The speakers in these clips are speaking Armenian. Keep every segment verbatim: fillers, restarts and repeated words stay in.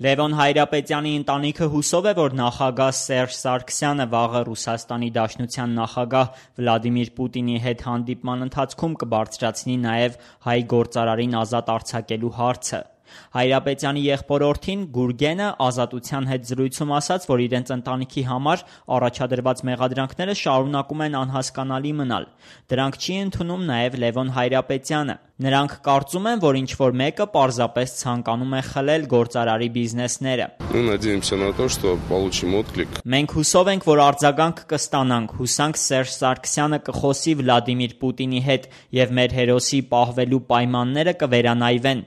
Լևոն Հայրապետյանի ընտանիքը հուսով է, որ նախագահ Սերժ Սարգսյանը վաղը Ռուսաստանի Դաշնության նախագահ Վլադիմիր Պուտինի հետ հանդիպման ընթացքում կբարձրացնի նաև հայ գործարարին ազատ արձակելու հարցը։ Հայրապետյանի եղբորորդին Գուրգենը Ազատության հետ զրույցում ասաց, որ իրենց ընտանիքի համար առաջադրված մեղադրանքները շարունակում են անհասկանալի մնալ։ Դրանք չի ընդունում նաև Լևոն Հայրապետյանը։ Նրանք կարծում են, որ ինչ-որ մեկը պարզապես ցանկանում է խլել գործարարի բիզնեսները։ Մենք հուսով ենք, որ արձագանք կստանանք, հուսանք Սերժ Սարգսյանը կխոսի Վլադիմիր Պուտինի հետ և մեր հերոսի պահվելու պայմանները կվերանայվեն։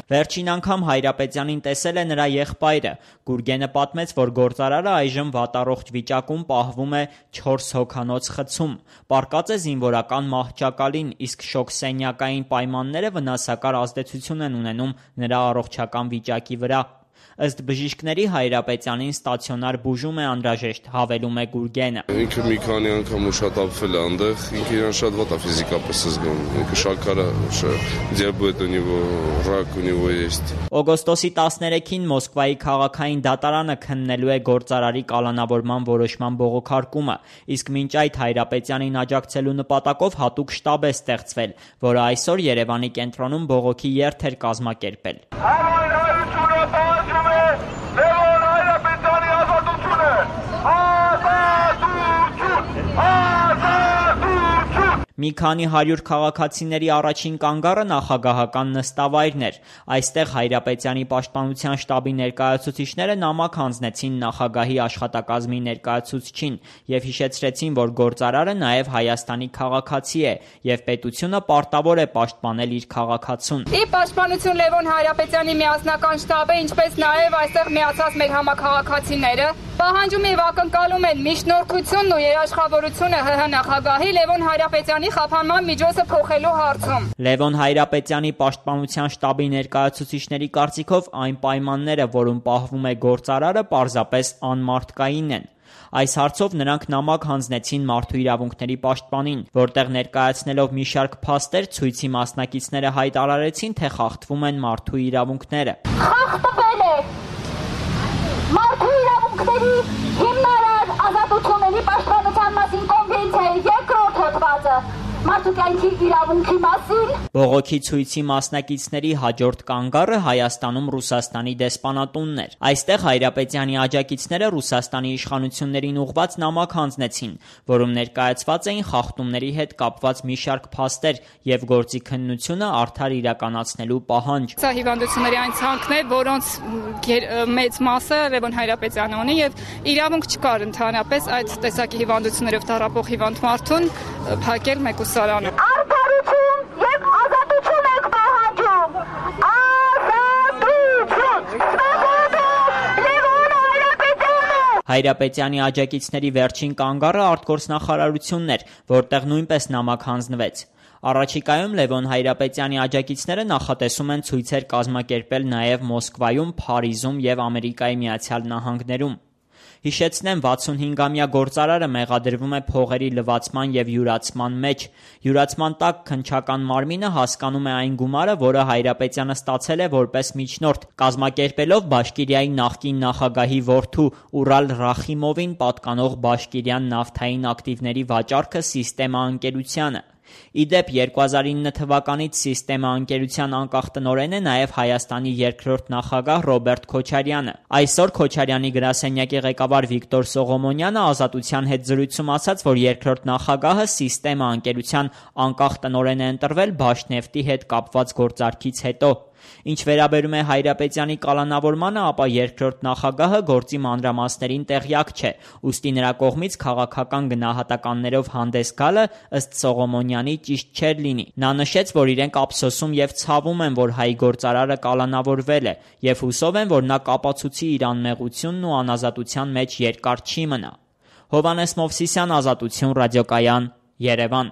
Վերջին անգամ Հայրապետյանին տեսել է նրա եղբայրը։ Գուրգենը պատմեց, որ գործարարը այժմ վատառողջ վիճակում պահվում է չորս հոգանոց խցում։ Պառկած է զինվորական մահճակալին, իսկ շոգսենյակային պայմանները վնասակար ազդեցություն են ունենում նրա առողջական վիճակի վրա։ Ըստ բժիշկների Հայրապետյանին ստացիոնար բուժում է անհրաժեշտ, հավելում է Գուրգենը։ Ինքը մի քանի անգամ ուշաթափվել է այնտեղ, ինքը իրան շատ վատ է ֆիզիկապես զգում, ինքը շաքար է, դիաբետ ունի, ռակ ունի, есть։ Օգոստոսի տասներեքին Մոսկվայի քաղաքային դատարանը քննելու է գործարարի կալանավորման որոշման բողոքարկումը, իսկ մինչ այդ Հայրապետյանին աջակցելու նպատակով հատուկ շտաբ է ստեղծվել, որը այսօր Երևանի կենտրոնում բողոքի երթ էր կազմակերպել։ Մի քանի հարյուր քաղաքացիների առաջին կանգառը նախագահական նստավայրն էր։ Այստեղ Հայրապետյանի պաշտպանության շտաբի ներկայացուցիչները նամակ հանձնեցին նախագահի աշխատակազմի ներկայացուցչին և հիշեցրեցին, որ գործարարը նաև Հայաստանի քաղաքացի է և պետությունը պարտավոր է պաշտպանել իր քաղաքացուն։ Ի պաշտպանություն Լևոն Հայրապետյանի միասնական շտաբը, ինչպես նաև այստեղ միացած մեր համաքաղաքացիները, պահանջում և ակնկալում են միջնորդությունն ու երաշխավորությունը ՀՀ նախագահի Լևոն Հայրապետյանի խափանման միջոցը փոխելու հարցում։ Լևոն Հայրապետյանի պաշտպանության շտաբի ներկայացուցիչների կարծիքով այն պայմանները, որում պահվում է գործարարը, պարզապես անմարդկային են։ Այս հարցով նրանք նամակ հանձնեցին Մարդու իրավունքների պաշտպանին, որտեղ ներկայացնելով մի շարք փաստեր, ցույցի մասնակիցները հայտարարեցին, թե խախտվում են մարդու իրավունքները։ Խախտվել է Մարդու իրավունքների հիմնարար ազատությունների պաշտպանության մասին կոնվենցիայի երկրորդ հոդվածը մարդու կյանքի իրավունքի մասին։ Բողոքի ցույցի մասնակիցների հաջորդ կանգառը Հայաստանում Ռուսաստանի դեսպանատունն էր։ Այստեղ Հայրապետյանի աջակիցները Ռուսաստանի իշխանություններին ուղղված նամակ հանձնեցին, որում ներկայացված էին խախտումների հետ կապված մի շարք փաստեր և գործի քննությունը արդար իրականացնելու պահանջ։ Սա հիվանդությունների այն ցանկն է, որոնց մեծ մասը Լևոն Հայրապետյանը ունի և իրավունք չկար ընդհանրապես այդ տեսակի հիվանդություններով տառապող հիվանդ մարդուն փակել մեկուսարանը։ Արդարություն և ազատություն ենք պահանջում։ Ազատություն։ Լևոն Հայրապետյանը։ Հայրապետյանի աջակիցների վերջին կանգառը արտգործնախարարությունն էր, որտեղ նույնպես նամակ հանձնվեց։ Առաջիկայում Լևոն Հայրապետյանի աջակիցները նախատեսում են ցույցեր կազմակերպել նաև Մոսկվայում, Փարիզում և Ամերիկայի Միացյալ Նահանգներում։ Հիշեցնեմ, վաթսունհինգամյա գործարարը մեղադրվում է փողերի լվացման և յուրացման մեջ։ Յուրացման տակ քննչական մարմինը հասկանում է այն գումարը, որը Հայրապետյանը ստացել է որպես միջնորդ, կազմակերպելով Բաշկիրիայի նախկին նախագահի որդու Ուրալ Ռախիմովին պատկանող Բաշկիրյան նավթային ակտիվների վաճառքը Սիստեմա ընկերությանը։ Ի դեպ, երկու հազար ինը թվականից Սիստեմա ընկերության անկախ տնօրեն է նաև Հայաստանի երկրորդ նախագահ Ռոբերտ Քոչարյանը։ Այսօր Քոչարյանի գրասենյակի ղեկավար Վիկտոր Սողոմոնյանը Ազատության հետ զրույցում ասաց, որ երկրորդ նախագահը Սիստեմա ընկերության անկախ տնօրեն է ընտրվել Բաշնեֆտի հետ կապված գործարքից հետո։ Ինչ վերաբերում է Հայրապետյանի կալանավորմանը, ապա երկրորդ նախագահը գործի մանրամասներին տեղյակ չէ, ուստի նրա կողմից քաղաքական գնահատականներով հանդես գալը ըստ Սողոմոնյանի ճիշտ չէր լինի։ Նա նշեց, որ իրենք ափսոսում և ցավում են, որ հայ գործարարը կալանավորվել է և հուսով են, որ նա կապացուցի իր անմեղությունն ու անազատության մեջ երկար չի մնա։ Հովհաննես Մովսիսյան, Ազատություն ռադիոկայան, Երևան։